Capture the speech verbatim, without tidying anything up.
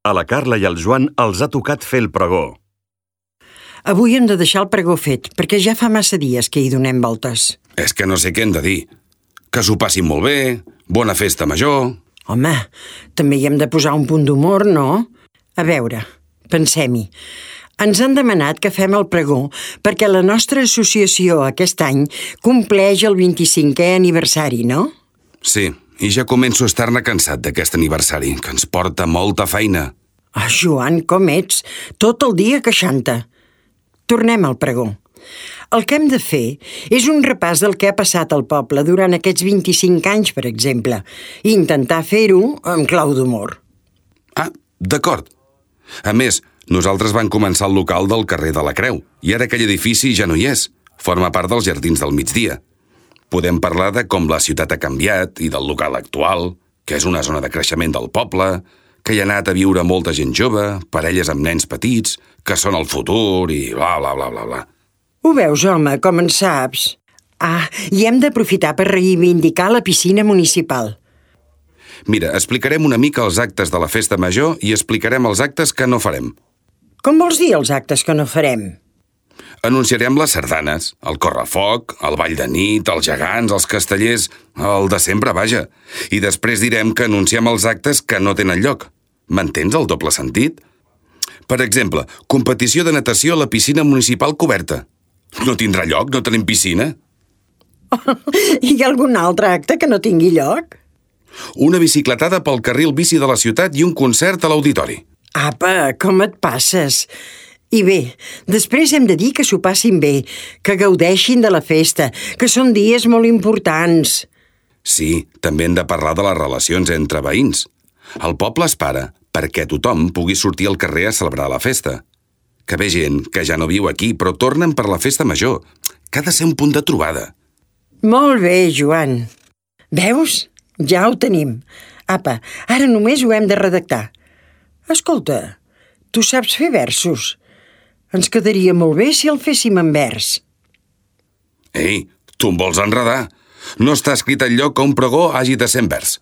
A la Carla i al Joan els ha tocat fer el pregó. Avui hem de deixar el pregó fet, perquè ja fa massa dies que hi donem voltes. És que no sé què hem de dir. Que s'ho passin molt bé, bona festa major... Home, també hi hem de posar un punt d'humor, no? A veure, pensem-hi. Ens han demanat que fem el pregó perquè la nostra associació aquest any compleix el vint-i-cinquè aniversari, no? Sí, i ja començo a estar-ne cansat d'aquest aniversari, que ens porta molta feina. Ah, Joan, com ets? Tot el dia queixant-te. Tornem al pregó. El que hem de fer és un repàs del que ha passat al poble durant aquests vint-i-cinc anys, per exemple, i intentar fer-ho amb clau d'humor. Ah, d'acord. A més, nosaltres vam començar el local del carrer de la Creu, i ara aquell edifici ja no hi és. Forma part dels Jardins del Migdia. Podem parlar de com la ciutat ha canviat i del local actual, que és una zona de creixement del poble, que hi ha anat a viure molta gent jove, parelles amb nens petits, que són el futur i bla, bla, bla, bla, bla. Ho veus, home, com en saps? Ah, i hem d'aprofitar per reivindicar la piscina municipal. Mira, explicarem una mica els actes de la festa major i explicarem els actes que no farem. Com vols dir els actes que no farem? Anunciarem les sardanes, el correfoc, el ball de nit, els gegants, els castellers, el de sempre, vaja. I després direm que anunciem els actes que no tenen lloc. M'entens el doble sentit? Per exemple, competició de natació a la piscina municipal coberta. No tindrà lloc? No tenim piscina? Hi ha algun altre acte que no tingui lloc? Una bicicletada pel carril bici de la ciutat i un concert a l'auditori. Apa, com et passes? I bé, després hem de dir que s'ho passin bé, que gaudeixin de la festa, que són dies molt importants. Sí, també hem de parlar de les relacions entre veïns. El poble es para perquè tothom pugui sortir al carrer a celebrar la festa. Que ve gent que ja no viu aquí, però tornen per la festa major, que ha de ser un punt de trobada. Molt bé, Joan. Veus? Ja ho tenim. Apa, ara només ho hem de redactar. Escolta, tu saps fer versos? Ens quedaria molt bé si el féssim en vers. Ei, tu em vols enredar? No està escrit enlloc que un pregó hagi de ser en vers.